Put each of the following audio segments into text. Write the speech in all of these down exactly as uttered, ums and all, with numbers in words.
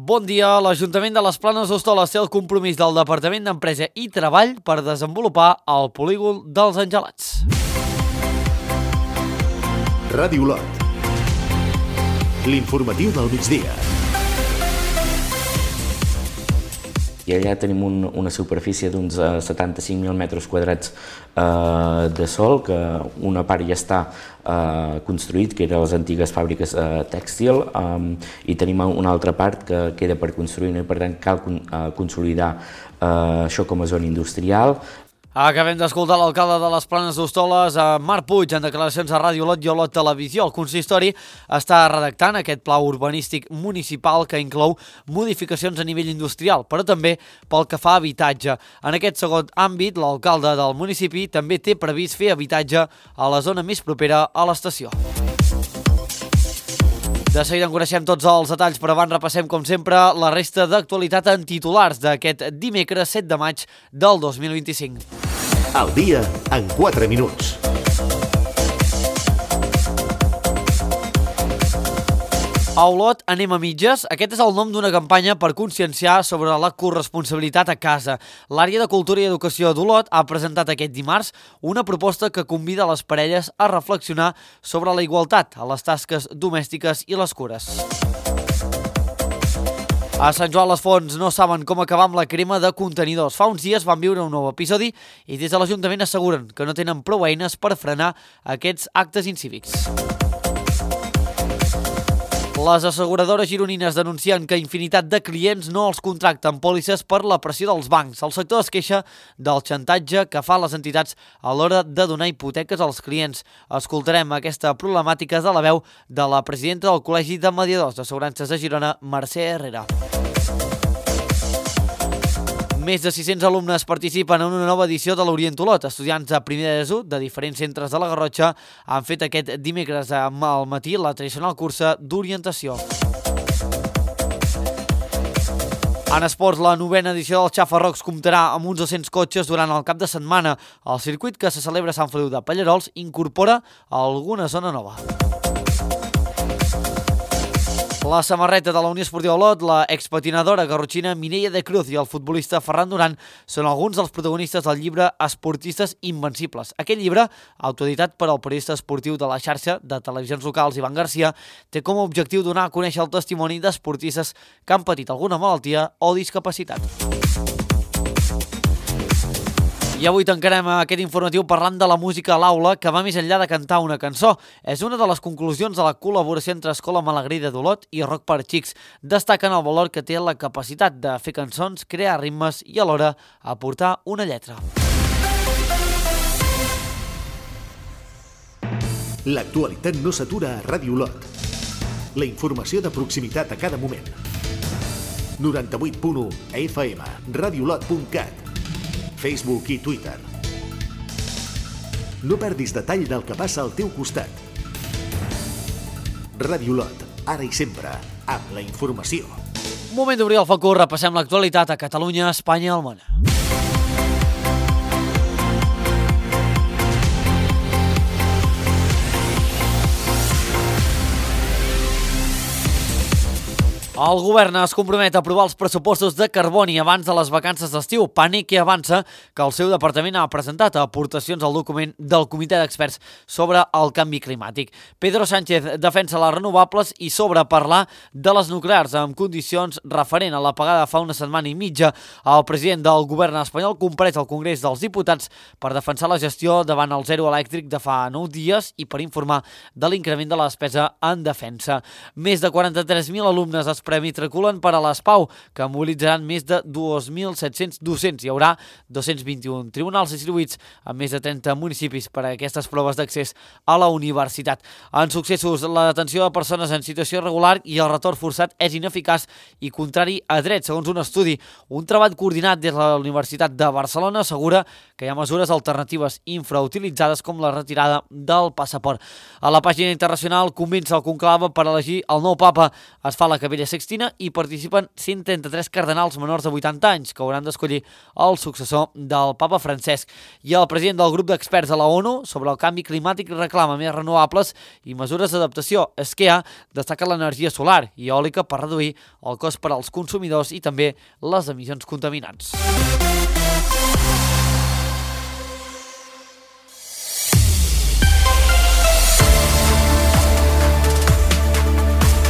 Bon dia. L'Ajuntament de les Planes d'Hostoles té el compromís del Departament d'Empresa i Treball per desenvolupar el polígon dels Angelats. Ràdio Olot. L'informatiu del migdia. I allà tenim un, una superfície d'uns uh, setanta-cinc mil metres quadrats uh, de sòl, que una part ja està uh, construït, que eren les antigues fàbriques uh, tèxtil, um, i tenim una altra part que queda per construir, i per tant cal uh, consolidar uh, això com a zona industrial. Acabem d'escoltar l'alcalde de les Planes d'Hostoles, Marc Puig, en declaracions a Ràdio Olot i Olot Televisió. El consistori està redactant aquest pla urbanístic municipal que inclou modificacions a nivell industrial, però també pel que fa a habitatge. En aquest segon àmbit, l'alcalde del municipi també té previst fer habitatge a la zona més propera a l'estació. De seguida en coneixem tots els detalls, però abans repassem, com sempre, la resta d'actualitat en titulars d'aquest dimecres set de maig del dos mil vint-i-cinc. Al dia en quatre minuts. A Olot anem a mitges. Aquest és el nom d'una campanya per conscienciar sobre la corresponsabilitat a casa. L'àrea de Cultura i Educació d'Olot ha presentat aquest dimarts una proposta que convida les parelles a reflexionar sobre la igualtat a les tasques domèstiques i les cures. A Sant Joan les Fonts no saben com acabar amb la crema de contenidors. Fa uns dies van viure un nou episodi i des de l'Ajuntament asseguren que no tenen prou eines per frenar aquests actes incívics. Les asseguradores gironines denuncien que infinitat de clients no els contracten pòlisses per la pressió dels bancs. El sector es queixa del xantatge que fan les entitats a l'hora de donar hipoteques als clients. Escoltarem aquesta problemàtica de la veu de la presidenta del Col·legi de Mediadors d'Assegurances de Girona, Mercè Herrera. Més de sis-cents alumnes participen en una nova edició de l'Orient Olot. Estudiants de primer d'ESO de diferents centres de la Garrotxa han fet aquest dimecres al matí la tradicional cursa d'orientació. En esports, la novena edició del Xafarrocs comptarà amb uns dos-cents cotxes durant el cap de setmana. El circuit que se celebra a Sant Feliu de Pallerols incorpora alguna zona nova. La samarreta de la Unió Esportiva Olot, la expatinadora garrotxina Mireia de Cruz i el futbolista Ferran Duran són alguns dels protagonistes del llibre Esportistes Invencibles. Aquest llibre, autoeditat per al periodista esportiu de la xarxa de televisions locals Ivan Garcia, té com a objectiu donar a conèixer el testimoni d'esportistes que han patit alguna malaltia o discapacitat. I avui tancarem aquest informatiu parlant de la música a l'aula, que va més enllà de cantar una cançó. És una de les conclusions de la col·laboració entre Escola Malagrida d'Olot i Rock per Xics. Destaquen el valor que té la capacitat de fer cançons, crear ritmes i alhora aportar una lletra. L'actualitat no s'atura a Ràdio Olot. La informació de proximitat a cada moment. noranta-vuit punt u a F M, radiolot punt cat, Facebook i Twitter. No perdis detall del que passa al teu costat. Ràdio Olot, ara i sempre, amb la informació. Moment d'obrir el focus, repassem l'actualitat a Catalunya, Espanya i el món. El govern es compromet a aprovar els pressupostos de Carboni abans de les vacances d'estiu. Pànic que avança que el seu departament ha presentat aportacions al document del Comitè d'Experts sobre el canvi climàtic. Pedro Sánchez defensa les renovables i sobre parlar de les nuclears amb condicions referent a l'apagada fa una setmana i mitja. El president del govern espanyol compareix al Congrés dels Diputats per defensar la gestió davant el zero elèctric de fa nou dies i per informar de l'increment de la despesa en defensa. Més de quaranta-tres mil alumnes es premitraculen per a l'ESPAU, que mobilitzaran més de dos mil set-cents docents. Hi haurà dos-cents vint-i-un tribunals distribuïts a més de trenta municipis per a aquestes proves d'accés a la universitat. En successos, la detenció de persones en situació irregular i el retorn forçat és ineficaç i contrari a dret, segons un estudi. Un treball coordinat des de la Universitat de Barcelona assegura que hi ha mesures alternatives infrautilitzades com la retirada del passaport. A la pàgina internacional comença el conclave per elegir el nou papa. Es fa la Capella Sixtina Sixtina hi participen cent trenta-tres cardenals menors de vuitanta anys que hauran d'escollir el successor del papa Francesc. I el president del grup d'experts de la ONU sobre el canvi climàtic reclama més renovables i mesures d'adaptació. SKEA destaca l'energia solar i eòlica per reduir el cost per als consumidors i també les emissions contaminants.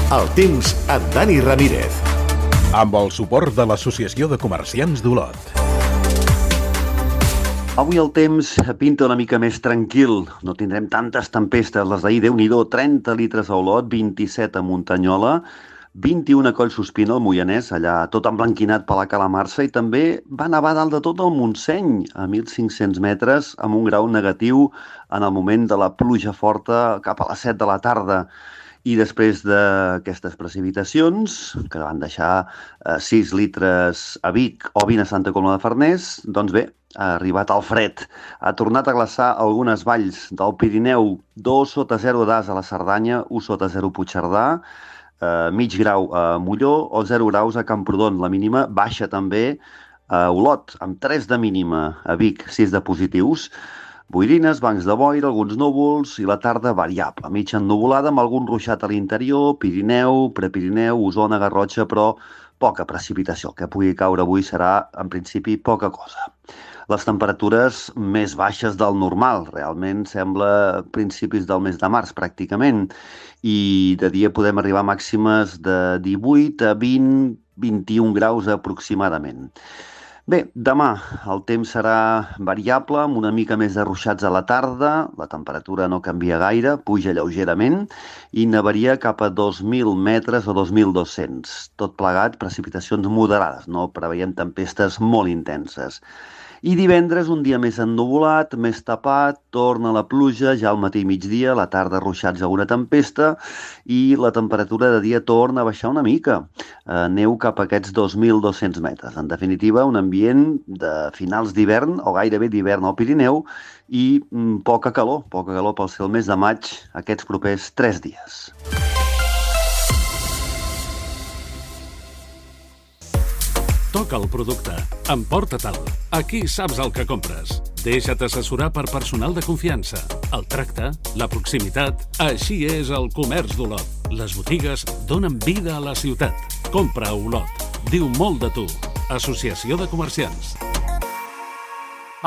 El temps amb Dani Ramírez. Amb el suport de l'Associació de Comerciants d'Olot. Avui el temps pinta una mica més tranquil. No tindrem tantes tempestes. Les d'ahir, Déu-n'hi-do, trenta litres a Olot, vint-i-set a Muntanyola, vint-i-un a Collsospina, al Moianès, allà tot emblanquinat per la calamarsa, i també va nevar dalt de tot el Montseny, a mil cinc-cents metres, amb un grau negatiu en el moment de la pluja forta cap a les set de la tarda. I després d'aquestes precipitacions, que van deixar sis litres a Vic o vint a Santa Coloma de Farners, doncs bé, ha arribat el fred. Ha tornat a glaçar algunes valls del Pirineu, dos sota zero d'As a la Cerdanya, un sota zero a Puigcerdà, eh, mig grau a Molló o zero graus a Camprodon. La mínima baixa també a Olot, amb tres de mínima, a Vic, sis de positius. Boirines, bancs de boira, alguns núvols i la tarda variable, mig ennuvolada amb algun ruixat a l'interior, Pirineu, Prepirineu, Osona, Garrotxa, però poca precipitació. El que pugui caure avui serà, en principi, poca cosa. Les temperatures més baixes del normal, realment sembla principis del mes de març, pràcticament, i de dia podem arribar a màximes de divuit a vint, vint-i-un graus aproximadament. Bé, demà el temps serà variable, amb una mica més de ruixats a la tarda, la temperatura no canvia gaire, puja lleugerament i nevaria cap a dos mil metres o dos mil dos-cents. Tot plegat, precipitacions moderades, no preveiem tempestes molt intenses. I divendres, un dia més ennuvolat, més tapat, torna la pluja ja al matí i migdia, a la tarda ruixats a una tempesta i la temperatura de dia torna a baixar una mica. Eh, neu cap a aquests dos mil dos-cents metres. En definitiva, un ambient de finals d'hivern o gairebé d'hivern al Pirineu i mm, poca calor, poca calor pel ser el mes de maig aquests propers tres dies. Toca el producte. Emporta-te'l. Aquí saps el que compres. Deixa't assessorar per personal de confiança. El tracte, la proximitat... Així és el comerç d'Olot. Les botigues donen vida a la ciutat. Compra a Olot. Diu molt de tu. Associació de Comerciants.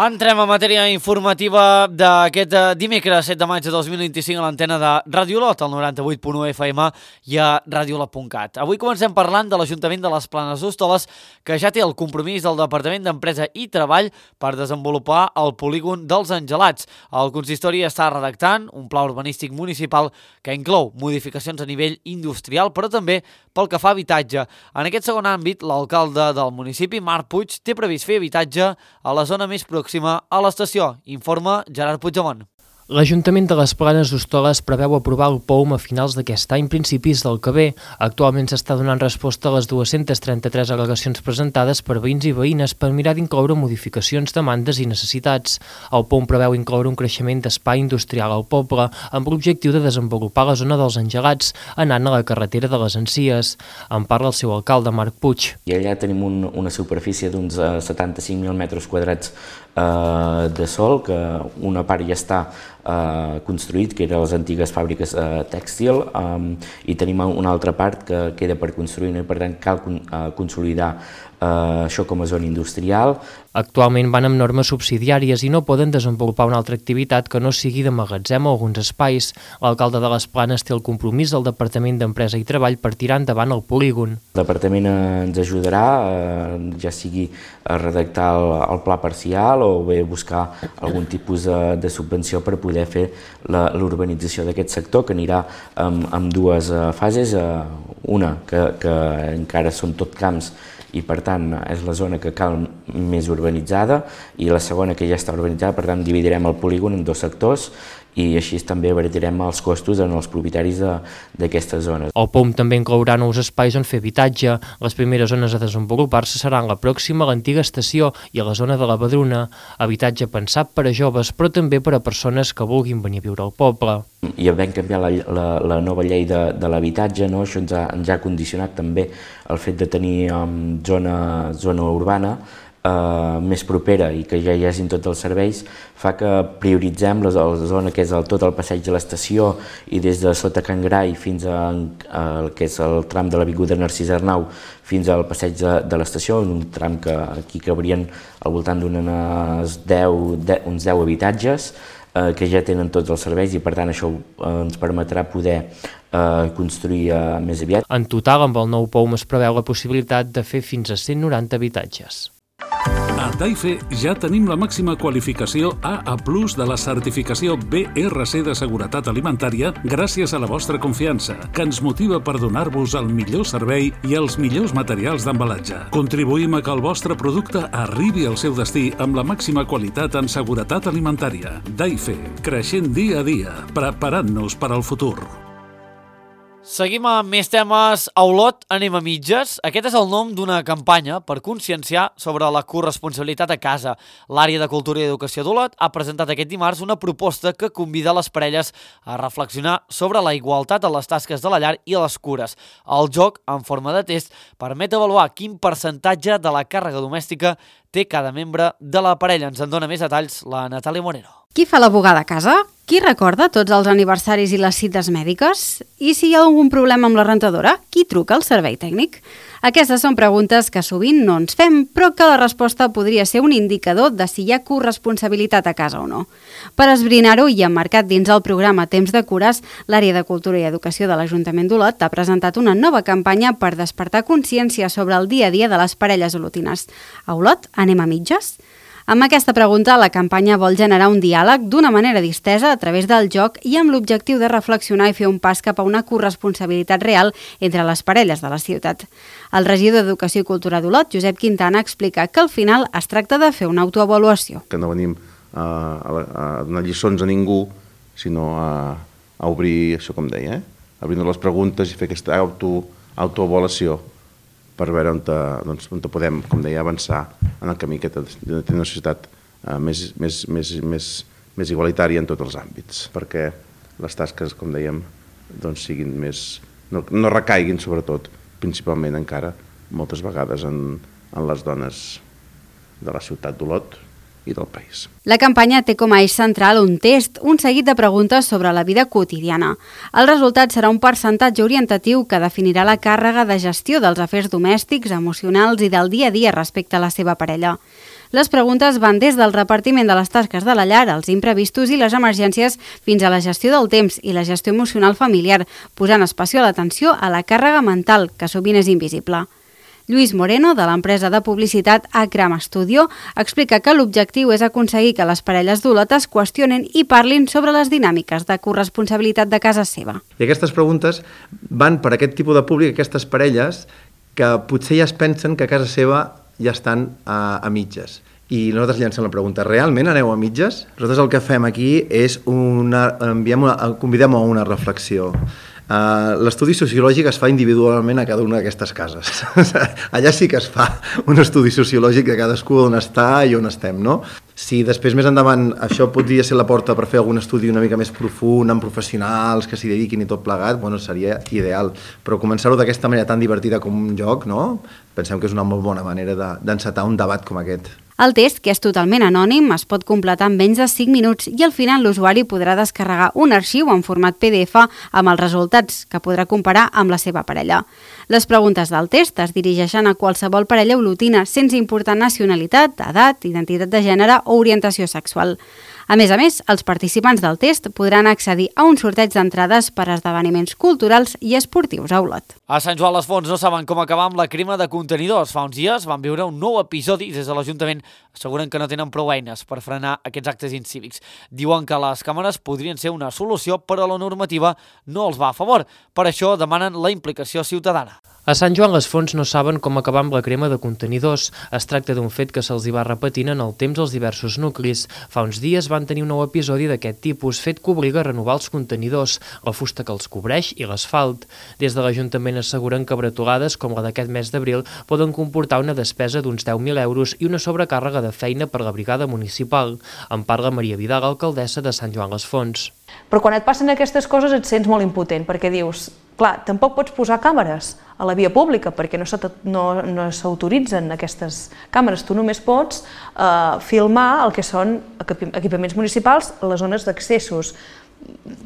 Entrem a matèria informativa d'aquest dimecres set de maig de dos mil vint-i-cinc a l'antena de Ràdio Olot, al noranta-vuit punt u F M i a radiolot punt cat. Avui comencem parlant de l'Ajuntament de les Planes d'Hostoles, que ja té el compromís del Departament d'Empresa i Treball per desenvolupar el polígon dels Angelats. El consistori està redactant un pla urbanístic municipal que inclou modificacions a nivell industrial, però també pel que fa a habitatge. En aquest segon àmbit, l'alcalde del municipi, Marc Puig, té previst fer habitatge a la zona més pròxima a l'estació, informa Gerard Puigdemont. L'Ajuntament de les Planes d'Hostoles preveu aprovar el P O U M a finals d'aquest any, principis del que ve. Actualment s'està donant resposta a les dues-centes trenta-tres al·legacions presentades per veïns i veïnes per mirar d'incloure modificacions, demandes i necessitats. El P O U M preveu incloure un creixement d'espai industrial al poble amb l'objectiu de desenvolupar la zona dels Angelats, anant a la carretera de les Encies. En parla el seu alcalde, Marc Puig. I allà tenim un, una superfície d'uns uh, setanta-cinc mil metres quadrats uh, de sol, que una part ja està Uh, construït, que eren les antigues fàbriques uh, tèxtil, um, i tenim una altra part que queda per construir, no? I per tant cal con uh, consolidar uh, això com a zona industrial. Actualment van amb normes subsidiàries i no poden desenvolupar una altra activitat que no sigui de magatzem o alguns espais. L'alcalde de les Planes té el compromís del Departament d'Empresa i Treball per tirar endavant el polígon. El departament ens ajudarà, eh, ja sigui a redactar el, el pla parcial o bé buscar algun tipus de, de subvenció per poder fer l'urbanització d'aquest sector, que anirà amb, amb dues uh, fases. Uh, una, que, que encara són tot camps i per tant és la zona que cal més urbanitzada, i la segona que ja està urbanitzada, per tant dividirem el polígon en dos sectors i així també abaratirem els costos en els propietaris d'aquestes zones. El P O U M també inclourà nous espais on fer habitatge. Les primeres zones a desenvolupar-se seran la pròxima a l'antiga estació i a la zona de la Badruna, habitatge pensat per a joves però també per a persones que vulguin venir a viure al poble. I vam canviar la, la, la nova llei de, de l'habitatge, no? Això ens ha, ens ha condicionat també el fet de tenir um, zona, zona urbana Uh, més propera i que ja hi hagin tots els serveis, fa que prioritzem la, la zona que és el, tot el passeig de l'estació i des de sota Can Grai fins a, a, que és el tram de l'avinguda Narcís Arnau fins al passeig de, de l'estació, un tram que aquí cabrien al voltant d'uns deu, uns deu habitatges eh, que ja tenen tots els serveis i per tant això eh, ens permetrà poder eh, construir eh, més aviat. En total, amb el nou P O U M es preveu la possibilitat de fer fins a cent noranta habitatges. A Daife ja tenim la màxima qualificació A A plus de la certificació B R C de seguretat alimentària gràcies a la vostra confiança, que ens motiva per donar-vos el millor servei i els millors materials d'embalatge. Contribuïm a que el vostre producte arribi al seu destí amb la màxima qualitat en seguretat alimentària. Daife, creixent dia a dia, preparant-nos per al futur. Seguim amb més temes. A Olot anem a mitges. Aquest és el nom d'una campanya per conscienciar sobre la corresponsabilitat a casa. L'àrea de Cultura i Educació d'Olot ha presentat aquest dimarts una proposta que convida les parelles a reflexionar sobre la igualtat a les tasques de la llar i a les cures. El joc, en forma de test, permet avaluar quin percentatge de la càrrega domèstica té cada membre de la parella. Ens en dona més detalls la Natàlia Moreno. Qui fa la bugada a casa? Qui recorda tots els aniversaris i les cites mèdiques? I si hi ha algun problema amb la rentadora? Qui truca al servei tècnic? Aquestes són preguntes que sovint no ens fem, però que la resposta podria ser un indicador de si hi ha corresponsabilitat a casa o no. Per esbrinar-ho i emmarcat dins el programa Temps de Cures, l'àrea de Cultura i Educació de l'Ajuntament d'Olot ha presentat una nova campanya per despertar consciència sobre el dia a dia de les parelles olotines. A Olot anem a mitges? Amb aquesta pregunta, la campanya vol generar un diàleg d'una manera distesa a través del joc i amb l'objectiu de reflexionar i fer un pas cap a una corresponsabilitat real entre les parelles de la ciutat. El regidor d'Educació i Cultura d'Olot, Josep Quintana, explica que al final es tracta de fer una autoavaluació. Que no venim a, a, a donar lliçons a ningú, sinó a, a obrir, això com deia, eh? a obrir les preguntes i fer aquesta auto, autoavaluació per veure on, te, doncs, on te podem, com deia, avançar en el camí que de tenir una societat eh, més, més, més, més, més igualitària en tots els àmbits, perquè les tasques, com dèiem, doncs siguin més, no, no recaiguin, sobretot, principalment encara, moltes vegades en, en les dones de la ciutat d'Olot i del país. La campanya té com a eix central un test, un seguit de preguntes sobre la vida quotidiana. El resultat serà un percentatge orientatiu que definirà la càrrega de gestió dels afers domèstics, emocionals i del dia a dia respecte a la seva parella. Les preguntes van des del repartiment de les tasques de la llar, els imprevistos i les emergències, fins a la gestió del temps i la gestió emocional familiar, posant especial atenció a la càrrega mental, que sovint és invisible. Lluís Moreno, de l'empresa de publicitat Acram Studio, explica que l'objectiu és aconseguir que les parelles d'Olot es qüestionen i parlin sobre les dinàmiques de corresponsabilitat de casa seva. I aquestes preguntes van per aquest tipus de públic, aquestes parelles que potser ja es pensen que a casa seva ja estan a, a mitges. I nosaltres llancem la pregunta, realment aneu a mitges? Nosaltres el que fem aquí és una, enviem una, convidem a una reflexió. Uh, l'estudi sociològic es fa individualment a cada una d'aquestes cases. Allà sí que es fa un estudi sociològic de cadascú on està i on estem, no? Si després més endavant això podria ser la porta per fer algun estudi una mica més profund, amb professionals que s'hi dediquin i tot plegat, bueno, seria ideal. Però començar-ho d'aquesta manera tan divertida com un joc, no? Pensem que és una molt bona manera de, d'encetar un debat com aquest. El test, que és totalment anònim, es pot completar en menys de cinc minuts i al final l'usuari podrà descarregar un arxiu en format P D F amb els resultats que podrà comparar amb la seva parella. Les preguntes del test es dirigeixen a qualsevol parella olotina sense importar nacionalitat, edat, identitat de gènere o orientació sexual. A més a més, els participants del test podran accedir a un sorteig d'entrades per a esdeveniments culturals i esportius a Olot. A Sant Joan les Fonts no saben com acabar amb la crema de contenidors. Fa uns dies van viure un nou episodi i des de l'Ajuntament asseguren que no tenen prou eines per frenar aquests actes incívics. Diuen que les càmeres podrien ser una solució, però la normativa no els va a favor. Per això demanen la implicació ciutadana. A Sant Joan les Fonts no saben com acabar amb la crema de contenidors. Es tracta d'un fet que se'ls hi va repetint en el temps als diversos nuclis. Fa uns dies van tenir un nou episodi d'aquest tipus, fet que obliga a renovar els contenidors, la fusta que els cobreix i l'asfalt. Des de l'Ajuntament asseguren que bretolades com la d'aquest mes d'abril poden comportar una despesa d'uns deu mil euros i una sobrecàrrega de feina per la brigada municipal. En parla Maria Vidal, alcaldessa de Sant Joan les Fonts. Però quan et passen aquestes coses et sents molt impotent, perquè dius, clar, tampoc pots posar càmeres a la via pública, perquè no s'autoritzen aquestes càmeres. Tu només pots eh, filmar el que són equipaments municipals, les zones d'accessos,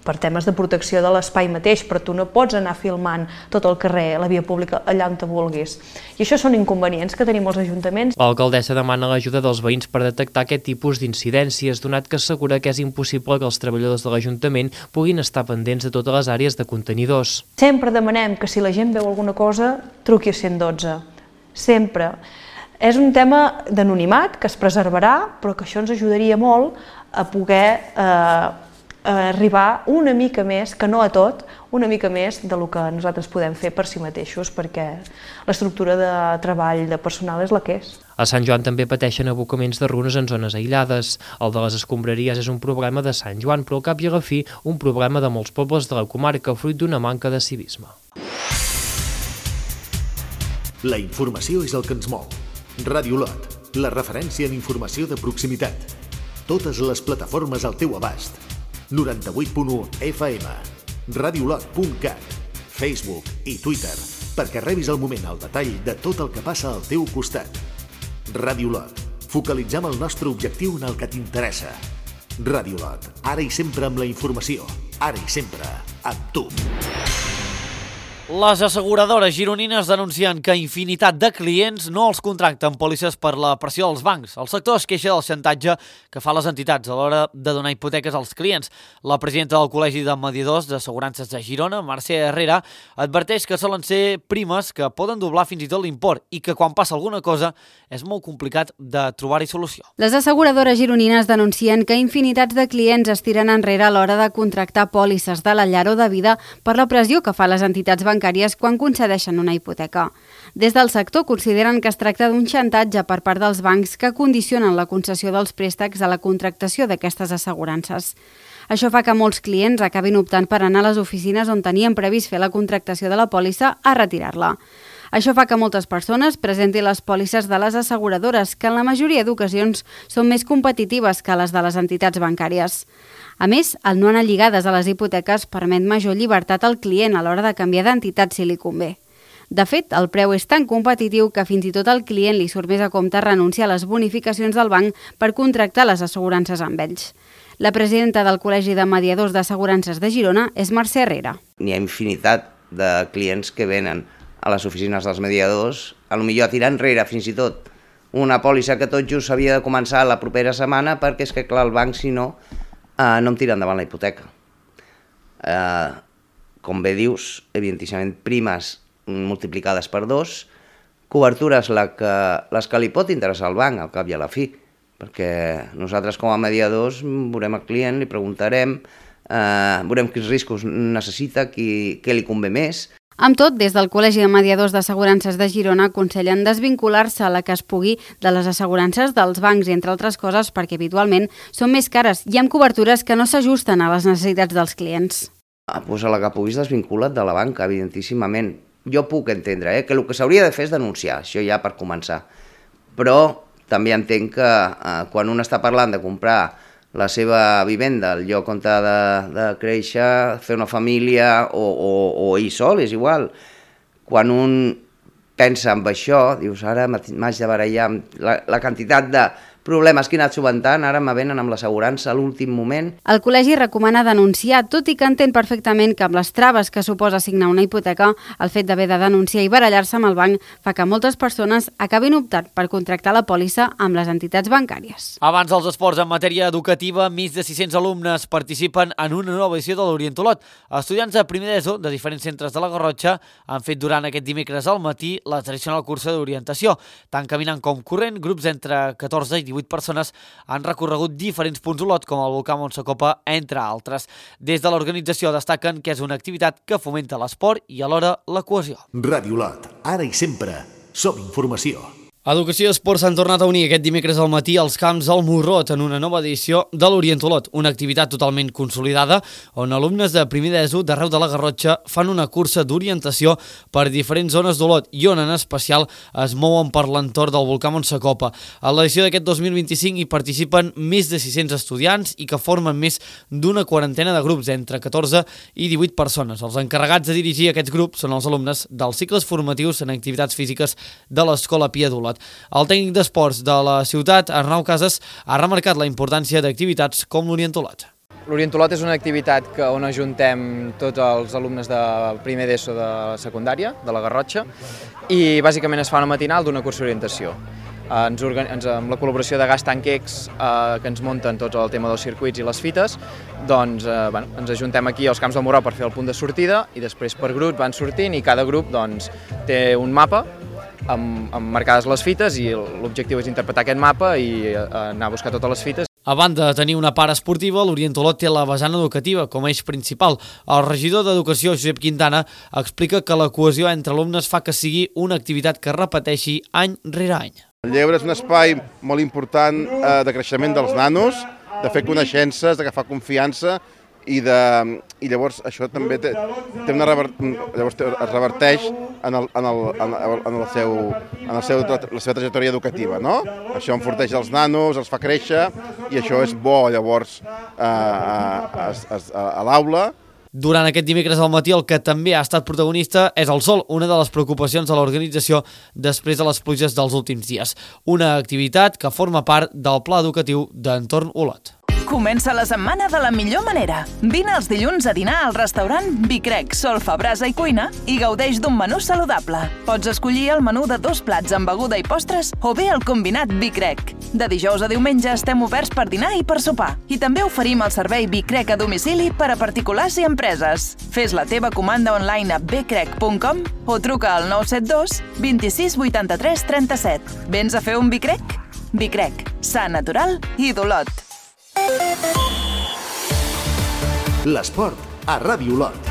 per temes de protecció de l'espai mateix, però tu no pots anar filmant tot el carrer, la via pública, allà on te vulguis. I això són inconvenients que tenim els ajuntaments. L'alcaldessa demana l'ajuda dels veïns per detectar aquest tipus d'incidències, donat que assegura que és impossible que els treballadors de l'Ajuntament puguin estar pendents de totes les àrees de contenidors. Sempre demanem que si la gent veu alguna cosa, truqui a cent dotze. Sempre. És un tema d'anonimat que es preservarà, però que això ens ajudaria molt a poder eh, arribar una mica més, que no a tot, una mica més del que nosaltres podem fer per si mateixos, perquè l'estructura de treball de personal és la que és. A Sant Joan també pateixen abocaments de runes en zones aïllades. El de les escombraries és un problema de Sant Joan, però al cap i a la fi un problema de molts pobles de la comarca, fruit d'una manca de civisme. La informació és el que ens mou. Ràdio Lot, la referència en informació de proximitat. Totes les plataformes al teu abast. noranta-vuit punt u F M, radiolot punt cat, Facebook i Twitter, perquè rebis al moment el detall de tot el que passa al teu costat. Ràdio Lot, focalitzem el nostre objectiu en el que t'interessa. Ràdio Lot, ara i sempre amb la informació, ara i sempre amb tu. Les asseguradores gironines denuncien que infinitat de clients no els contracten pòlisses per la pressió dels bancs. El sector es queixa del xantatge que fa les entitats a l'hora de donar hipoteques als clients. La presidenta del Col·legi de Mediadors d'Assegurances de Girona, Mercè Herrera, adverteix que solen ser primes que poden doblar fins i tot l'import i que quan passa alguna cosa és molt complicat de trobar-hi solució. Les asseguradores gironines denuncien que infinitats de clients es tiren enrere a l'hora de contractar pòlisses de la llar o de vida per la pressió que fa les entitats bancàries bancàries quan concedeixen una hipoteca. Des del sector consideren que es tracta d'un xantatge per part dels bancs que condicionen la concessió dels préstecs a la contractació d'aquestes assegurances. Això fa que molts clients acabin optant per anar a les oficines on tenien previst fer la contractació de la pòlissa a retirar-la. Això fa que moltes persones presentin les pòlisses de les asseguradores, que en la majoria d'ocasions són més competitives que les de les entitats bancàries. A més, el no anar lligades a les hipoteques permet major llibertat al client a l'hora de canviar d'entitat si li convé. De fet, el preu és tan competitiu que fins i tot al client li surt més a compte renunciar a les bonificacions del banc per contractar les assegurances amb ells. La presidenta del Col·legi de Mediadors d'Assegurances de Girona és Mercè Herrera. N'hi ha infinitat de clients que venen a les oficines dels mediadors, a lo millor a tirar enrere fins i tot una pòlissa que tot just havia de començar la propera setmana perquè és que clar, el banc si no Uh, no em tira endavant la hipoteca. Uh, com bé dius, evidentíssimament primes multiplicades per dos, cobertures la que, les que li pot interessar al banc al cap i a la fi, perquè nosaltres com a mediadors veurem el client, li preguntarem, uh, veurem quins riscos necessita, qui, què li convé més. Amb tot, des del Col·legi de Mediadors d'Assegurances de Girona aconsellen desvincular-se a la que es pugui de les assegurances dels bancs, entre altres coses perquè habitualment són més cares i amb cobertures que no s'ajusten a les necessitats dels clients. Ah, doncs a la que puguis desvincula't de la banca, evidentíssimament. Jo puc entendre eh, que el que s'hauria de fer és denunciar, això ja per començar. Però també entenc que eh, quan un està parlant de comprar la seva vivenda, el lloc on ha de, de créixer, fer una família o, o, o ell sol, és igual. Quan un pensa en això, dius, ara m'haig de barallar amb la, la quantitat de problemes que he anat sobentant, ara me venen amb l'assegurança a l'últim moment. El col·legi recomana denunciar, tot i que entén perfectament que amb les traves que suposa signar una hipoteca, el fet d'haver de denunciar i barallar-se amb el banc fa que moltes persones acabin optant per contractar la pòlissa amb les entitats bancàries. Abans dels esports en matèria educativa, més de sis-cents alumnes participen en una nova edició de l'Orientolot. Estudiants de primer d'ESO de diferents centres de la Garrotxa han fet durant aquest dimecres al matí la tradicional cursa d'orientació, tant caminant com corrent, grups entre catorze i divuit divuit persones han recorregut diferents punts d'Olot, com el volcà Montsacopa, entre altres. Des de l'organització destaquen que és una activitat que fomenta l'esport i alhora la cohesió. Ràdio Olot, ara i sempre, som informació. Educació i Esport s'han tornat a unir aquest dimecres al matí als camps del Morrot en una nova edició de l'Orient Olot, una activitat totalment consolidada on alumnes de primer d'ESO d'arreu de la Garrotxa fan una cursa d'orientació per diferents zones d'Olot i on en especial es mouen per l'entorn del volcà Montsacopa. A l'edició d'aquest dos mil vint-i-cinc hi participen més de sis-cents estudiants i que formen més d'una quarantena de grups, entre catorze i divuit persones. Els encarregats de dirigir aquests grups són els alumnes dels cicles formatius en activitats físiques de l'Escola Pia d'Olot. El tècnic d'esports de la ciutat, Arnau Casas, ha remarcat la importància d'activitats com l'Orient Olot. L'Orient Olot és una activitat que, on ajuntem tots els alumnes de primer d'ESO de secundària, de la Garrotxa, i bàsicament es fa una matinal d'una cursa d'orientació. Ens, ens, amb la col·laboració de Gas Tanquex, eh, que ens munten tot el tema dels circuits i les fites, doncs eh, bueno, ens ajuntem aquí als camps del Morrot per fer el punt de sortida i després per grups van sortint i cada grup doncs, té un mapa amb, amb marcades les fites i l'objectiu és interpretar aquest mapa i eh, anar a buscar totes les fites. A banda de tenir una part esportiva, l'Orient Olot té la vessant educativa com a eix principal. El regidor d'Educació, Josep Quintana, explica que la cohesió entre alumnes fa que sigui una activitat que repeteixi any rere any. El lleure és un espai molt important eh, de creixement dels nanos, de fer coneixences, d'agafar confiança i, de, i llavors això també té, té una rever, llavors es reverteix en, el, en, el, en, el, en, el seu, en el seu, la seva trajectòria educativa. No? Això enforteix els nanos, els fa créixer i això és bo llavors eh, a, a, a, a l'aula. Durant aquest dimecres al matí el que també ha estat protagonista és el sol, una de les preocupacions de l'organització després de les pluges dels últims dies. Una activitat que forma part del pla educatiu d'Entorn Olot. Comença la setmana de la millor manera. Vine els dilluns a dinar al restaurant Bicrec, Solfa, Brasa i Cuina i gaudeix d'un menú saludable. Pots escollir el menú de dos plats amb beguda i postres o bé el combinat Bicrec. De dijous a diumenge estem oberts per dinar i per sopar. I també oferim el servei Bicrec a domicili per a particulars i empreses. Fes la teva comanda online a bcrec punt com o truca al nou set dos, vint-i-sis, vuitanta-tres, trenta-set. Vens a fer un Bicrec? Bicrec, sa, natural i d'Olot. L'esport a Ràdio Olot.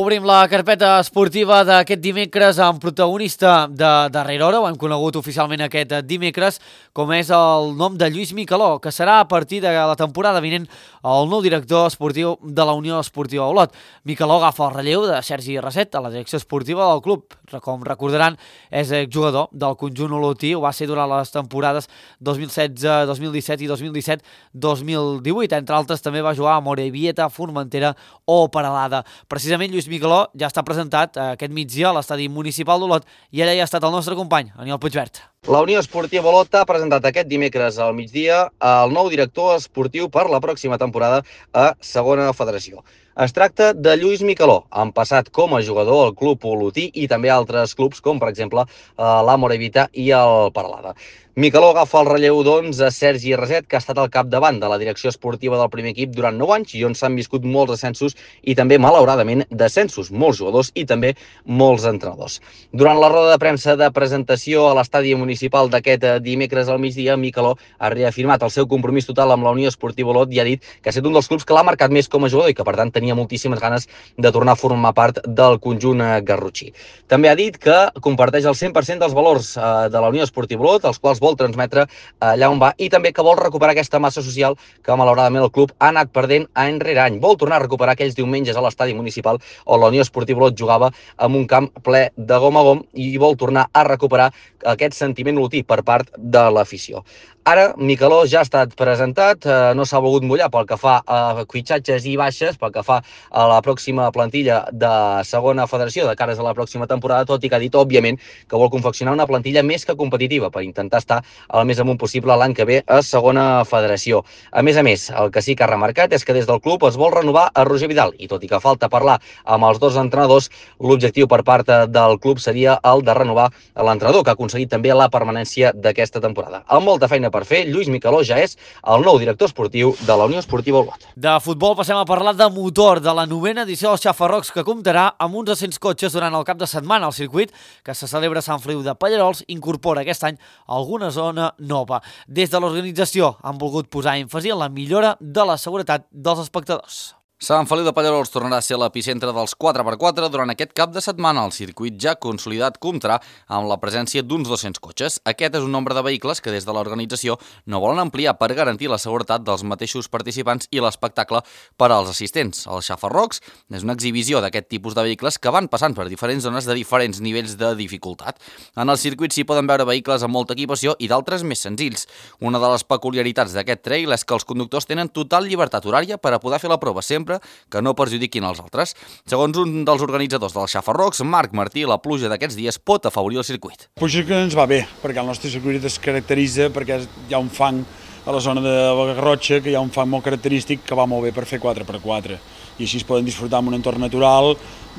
Obrim la carpeta esportiva d'aquest dimecres amb protagonista de darrera hora, ho hem conegut oficialment aquest dimecres, com és el nom de Lluís Micaló, que serà a partir de la temporada vinent el nou director esportiu de la Unió Esportiva Olot. Micaló agafa el relleu de Sergi Raset a la direcció esportiva del club. Com recordaran, és jugador del conjunt olotí, ho va ser durant les temporades dos mil setze, dos mil disset i dos mil disset dos mil divuit. Entre altres, també va jugar a Morevieta, Formentera o Peralada. Precisament, Lluís Micaló ja està presentat aquest migdia a l'estadi municipal d'Olot i ara ja ha estat el nostre company, Aniol Puigvert. La Unió Esportiva Olot ha presentat aquest dimecres al migdia el nou director esportiu per la pròxima temporada a Segona Federació. Es tracta de Lluís Micaló, en passat com a jugador al club olotí i també altres clubs com, per exemple, la Morevieta i el Peralada. Micaló agafa el relleu, doncs, a Sergi Raset, que ha estat al capdavant de la direcció esportiva del primer equip durant nou anys i on s'han viscut molts ascensos i també, malauradament, descensos, molts jugadors i també molts entrenadors. Durant la roda de premsa de presentació a l'estadi municipal d'aquest dimecres al migdia, Micaló ha reafirmat el seu compromís total amb la Unió Esportiva Olot i ha dit que ha estat un dels clubs que l'ha marcat més com a jugador i que, per tant, tenia moltíssimes ganes de tornar a formar part del conjunt garrotxí. També ha dit que comparteix el cent per cent dels valors de la Unió Esportiva Olot, els quals vol transmetre allà on va, i també que vol recuperar aquesta massa social que malauradament el club ha anat perdent any rere any. Vol tornar a recuperar aquells diumenges a l'estadi municipal on la Unió Esportiva Olot jugava amb un camp ple de gom a gom i vol tornar a recuperar aquest sentiment olotí per part de l'afició. Ara, Micaló ja ha estat presentat, eh, no s'ha volgut mullar pel que fa a fitxatges i baixes, pel que fa a la pròxima plantilla de Segona Federació de cares a la pròxima temporada, tot i que ha dit, òbviament, que vol confeccionar una plantilla més que competitiva per intentar estar estar el més amunt possible l'any que ve a segona federació. A més a més, el que sí que ha remarcat és que des del club es vol renovar a Roger Vidal i tot i que falta parlar amb els dos entrenadors, l'objectiu per part del club seria el de renovar l'entrenador, que ha aconseguit també la permanència d'aquesta temporada. Amb molta feina per fer, Lluís Micaló ja és el nou director esportiu de la Unió Esportiva Olot. De futbol passem a parlar de motor, de la novena edició dels Xafarrocs, que comptarà amb uns dos-cents cotxes durant el cap de setmana. El circuit, que se celebra a Sant Feliu de Pallerols, incorpora aquest any alguna zona nova. Des de l'organització han volgut posar èmfasi en la millora de la seguretat dels espectadors. Sant Feliu de Pallerols tornarà a ser l'epicentre dels quatre per quatre durant aquest cap de setmana. El circuit ja consolidat comptarà amb la presència d'uns dos-cents cotxes. Aquest és un nombre de vehicles que des de l'organització no volen ampliar per garantir la seguretat dels mateixos participants i l'espectacle per als assistents. El Xafarrocs és una exhibició d'aquest tipus de vehicles que van passant per diferents zones de diferents nivells de dificultat. En el circuit s'hi poden veure vehicles amb molta equipació i d'altres més senzills. Una de les peculiaritats d'aquest trail és que els conductors tenen total llibertat horària per a poder fer la prova sempre que no perjudiquin els altres. Segons un dels organitzadors del Xafarrocs, Marc Martí, la pluja d'aquests dies pot afavorir el circuit. Pluja que ens va bé, perquè el nostre circuit es caracteritza perquè hi ha un fang a la zona de la Garrotxa, que hi ha un fang molt característic que va molt bé per fer quatre per quatre. I així es poden disfrutar en un entorn natural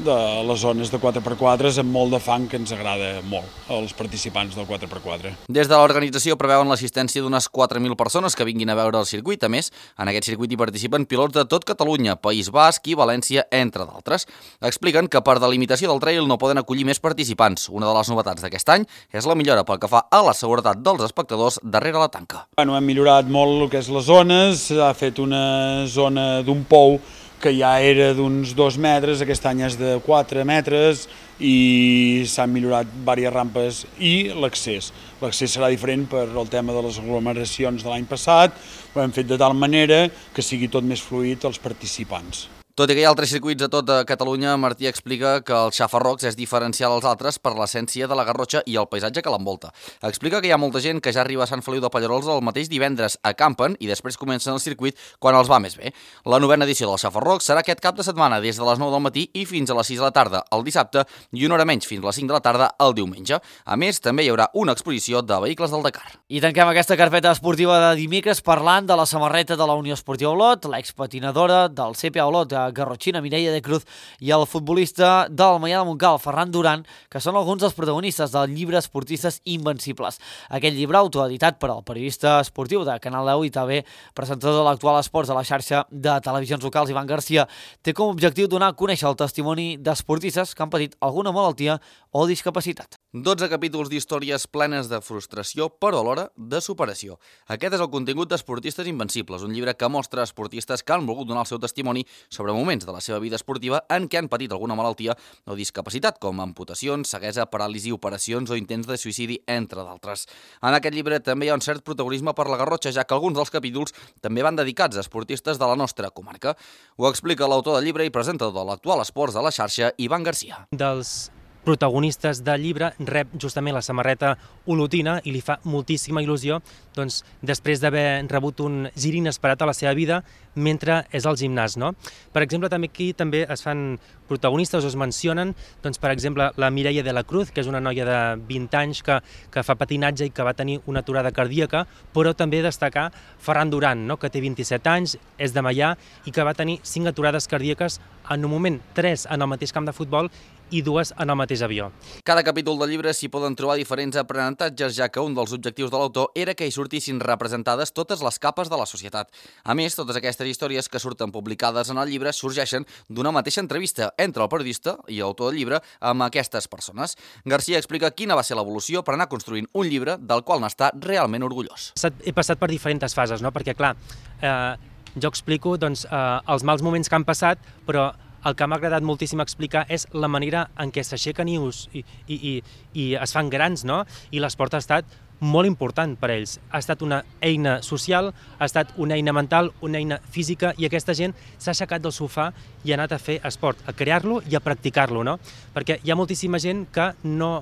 de les zones de quatre per quatre amb molt de fang que ens agrada molt als participants del quatre per quatre. Des de l'organització preveuen l'assistència d'unes quatre mil persones que vinguin a veure el circuit. A més, en aquest circuit hi participen pilots de tot Catalunya, País Basc i València, entre d'altres. Expliquen que per delimitació del trail no poden acollir més participants. Una de les novetats d'aquest any és la millora pel que fa a la seguretat dels espectadors darrere la tanca. Bueno, hem millorat molt el que és les zones, s'ha fet una zona d'un pou que ja era d'uns dos metres, aquest any és de quatre metres i s'han millorat diverses rampes i l'accés. L'accés serà diferent per el tema de les aglomeracions de l'any passat, ho hem fet de tal manera que sigui tot més fluid als participants. Tot i que hi ha altres circuits a tota Catalunya, Martí explica que el Xafarrocs és diferencial als altres per l'essència de la Garrotxa i el paisatge que l'envolta. Explica que hi ha molta gent que ja arriba a Sant Feliu de Pallerols el mateix divendres, acampen i després comencen el circuit quan els va més bé. La novena edició del Xafarrocs serà aquest cap de setmana des de les nou del matí i fins a les sis de la tarda el dissabte i una hora menys fins a les cinc de la tarda el diumenge. A més, també hi haurà una exposició de vehicles del Dakar. I tanquem aquesta carpeta esportiva de dimecres parlant de la samarreta de la Unió Esportiva Olot, l'expatinadora del C P A Olot, Garrotxina, Mireia de Cruz, i el futbolista del Maià de Montcal, Ferran Duran, que són alguns dels protagonistes del llibre Esportistes Invencibles. Aquest llibre, autoeditat per al periodista esportiu de Canal deu i també presentador de l'Actual Esports a la xarxa de televisions locals, Ivan Garcia, té com a objectiu donar a conèixer el testimoni d'esportistes que han patit alguna malaltia o discapacitat. dotze capítols d'històries plenes de frustració, però alhora de superació. Aquest és el contingut d'Esportistes Invencibles, un llibre que mostra esportistes que han volgut donar el seu testimoni sobre moments de la seva vida esportiva en què han patit alguna malaltia o discapacitat, com amputacions, ceguesa, paràlisi, operacions o intents de suïcidi, entre d'altres. En aquest llibre també hi ha un cert protagonisme per la Garrotxa, ja que alguns dels capítols també van dedicats a esportistes de la nostra comarca. Ho explica l'autor del llibre i presentador de l'Actual Esports de la xarxa, Ivan Garcia. Dels protagonistes del llibre rep justament la samarreta olotina i li fa moltíssima il·lusió doncs, després d'haver rebut un gir inesperat a la seva vida mentre és al gimnàs. No? Per exemple, també aquí també es fan protagonistes o es mencionen, doncs, per exemple, la Mireia de la Cruz, que és una noia de vint anys que, que fa patinatge i que va tenir una aturada cardíaca, però també destacar Ferran Duran, no? que té vint-i-set anys, és de Maià i que va tenir cinc aturades cardíaques en un moment, tres en el mateix camp de futbol i dues en el mateix avió. Cada capítol del llibre s'hi poden trobar diferents aprenentatges, ja que un dels objectius de l'autor era que hi sortissin representades totes les capes de la societat. A més, totes aquestes històries que surten publicades en el llibre sorgeixen d'una mateixa entrevista entre el periodista i l'autor del llibre amb aquestes persones. Garcia explica quina va ser l'evolució per anar construint un llibre del qual n'està realment orgullós. He passat per diferents fases, no? perquè clar, eh, jo explico doncs, eh, els mals moments que han passat, però el que m'ha agradat moltíssim explicar és la manera en què s'aixequen i, i, i, i es fan grans, no? I l'esport ha estat molt important per a ells. Ha estat una eina social, ha estat una eina mental, una eina física, i aquesta gent s'ha aixecat del sofà i ha anat a fer esport, a crear-lo i a practicar-lo, no? Perquè hi ha moltíssima gent que no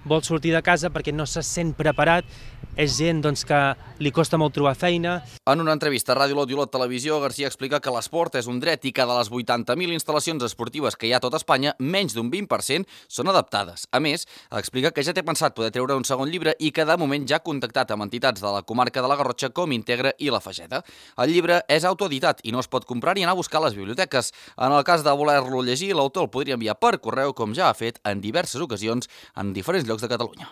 vol sortir de casa perquè no se sent preparat, és gent doncs, que li costa molt trobar feina. En una entrevista a Ràdio Lot i Olot Televisió, Garcia explica que l'esport és un dret i que de les vuitanta mil instal·lacions esportives que hi ha a tot Espanya, menys d'un vint per cent són adaptades. A més, explica que ja té pensat poder treure un segon llibre i que de moment ja ha contactat amb entitats de la comarca de la Garrotxa com Integra i La Fageda. El llibre és autoeditat i no es pot comprar ni anar a buscar a les biblioteques. En el cas de voler-lo llegir, l'autor el podria enviar per correu, com ja ha fet en diverses ocasions en diferents llocs de Catalunya.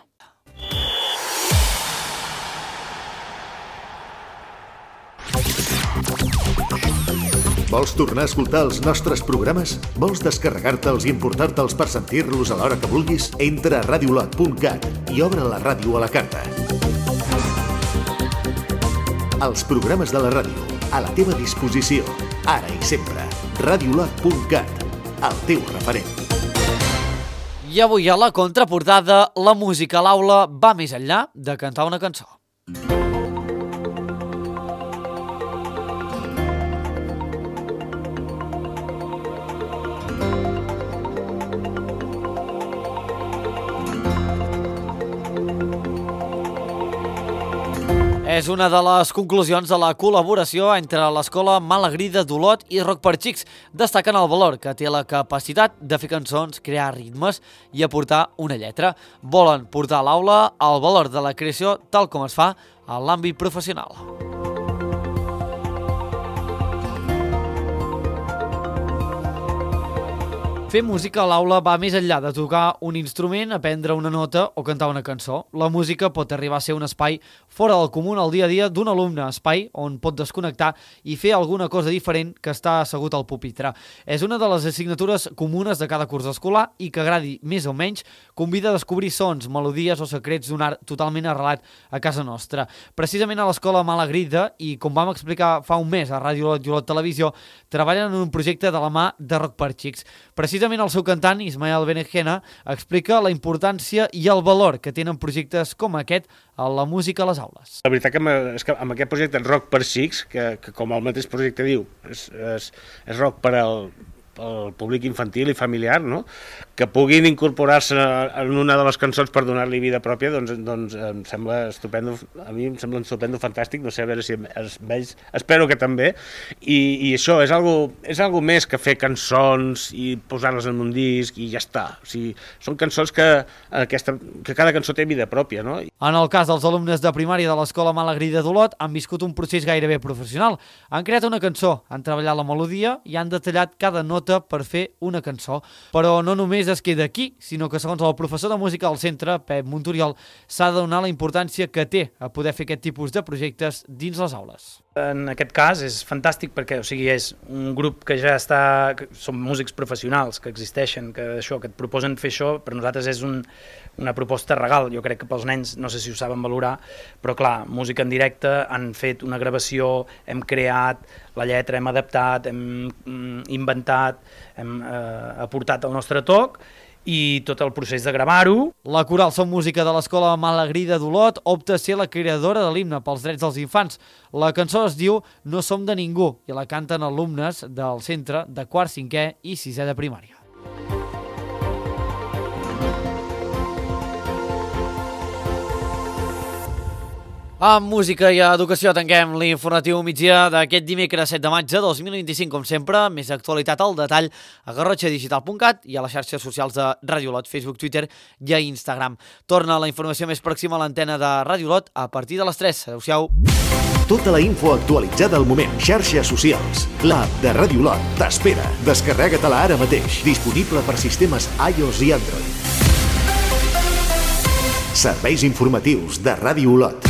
Vols tornar a escoltar els nostres programes? Vols descarregar-te'ls i emportar-te'ls per sentir-los a l'hora que vulguis? Entra a radiolot punt cat i obre la ràdio a la carta. Els programes de la ràdio, a la teva disposició, ara i sempre. radiolot punt cat, el teu referent. I avui a la contraportada, la música a l'aula va més enllà de cantar una cançó. És una de les conclusions de la col·laboració entre l'Escola Malagrida d'Olot i Rock per Xics. Destaquen el valor que té la capacitat de fer cançons, crear ritmes i aportar una lletra. Volen portar a l'aula el valor de la creació tal com es fa en l'àmbit professional. Fer música a l'aula va més enllà de tocar un instrument, aprendre una nota o cantar una cançó. La música pot arribar a ser un espai fora del comú al dia a dia d'un alumne, espai on pot desconnectar i fer alguna cosa diferent que està assegut al pupitre. És una de les assignatures comunes de cada curs escolar i que agradi més o menys convida a descobrir sons, melodies o secrets d'un art totalment arrelat a casa nostra. Precisament a l'Escola Malagrida, i com vam explicar fa un mes a Ràdio Lot i Olot Televisió, treballen en un projecte de la mà de Rock per Xics. Precisament el seu cantant, Ismael Benejena, explica la importància i el valor que tenen projectes com aquest a la música a les aules. La veritat que, és que amb aquest projecte Rock per Xics, que, que com el mateix projecte diu, és, és, és rock per al el públic infantil i familiar, no? Que puguin incorporar-se en una de les cançons per donar-li vida pròpia, doncs, doncs em sembla estupendo, a mi em sembla estupendo, fantàstic, no sé, a veure si els vells, espero que també, i, i això és algo, és algo més que fer cançons i posar-les en un disc i ja està. O sigui, són cançons que, aquesta, que cada cançó té vida pròpia, no? En el cas dels alumnes de primària de l'Escola Malagrida d'Olot han viscut un procés gairebé professional. Han creat una cançó, han treballat la melodia i han detallat cada nota per fer una cançó. Però no només es queda aquí, sinó que segons el professor de música del centre, Pep Montoriol, s'ha de donar la importància que té a poder fer aquest tipus de projectes dins les aules. En aquest cas és fantàstic perquè, o sigui, és un grup que ja està, que són músics professionals que existeixen, que això, que et proposen fer això, per nosaltres és un, una proposta regal. Jo crec que pels nens, no sé si ho saben valorar, però clar, música en directe, han fet una gravació, hem creat la lletra, hem adaptat, hem inventat, hem eh, aportat el nostre toc, i tot el procés de gravar-ho. La Coral Som Música de l'Escola Malagrida d'Olot opta a ser la creadora de l'himne pels drets dels infants. La cançó es diu No som de ningú i la canten alumnes del centre de quart, cinquè i sisè de primària. Amb música i educació tanquem l'informatiu migdia d'aquest dimecres set de maig de dos mil vint-i-cinc, com sempre, més actualitat al detall a garrotxa digital punt cat i a les xarxes socials de Ràdio Olot, Facebook, Twitter i a Instagram. Torna la informació més pròxima a l'antena de Ràdio Olot a partir de les tres. Adéu-siau. Tota la info actualitzada al moment. Xarxes socials. L'app de Ràdio Olot t'espera. Descarrega-te-la ara mateix. Disponible per sistemes iOS i Android. Serveis informatius de Ràdio Olot.